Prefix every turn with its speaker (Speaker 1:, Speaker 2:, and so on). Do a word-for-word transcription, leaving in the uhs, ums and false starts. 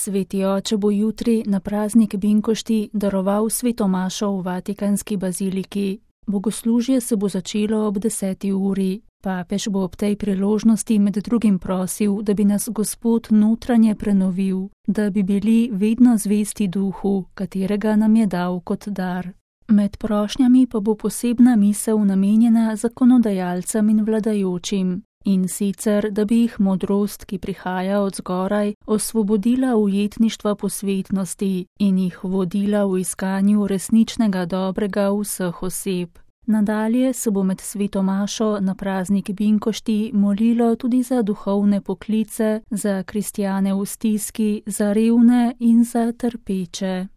Speaker 1: Sveti oče bo jutri na praznik Binkošti daroval svetomašo v Vatikanski baziliki. Bogoslužje se bo začelo ob deseti uri. Papež bo ob tej priložnosti med drugim prosil, da bi nas Gospod notranje prenovil, da bi bili vedno zvesti duhu, katerega nam je dal kot dar. Med prošnjami pa bo posebna misel namenjena zakonodajalcem in vladajočim, in sicer, da bi jih modrost, ki prihaja od zgoraj, osvobodila ujetništva posvetnosti in jih vodila v iskanju resničnega dobrega vseh oseb. Nadalje se bo med sveto mašo na praznik Binkošti molilo tudi za duhovne poklice, za kristjane v stiski, za revne in za trpeče.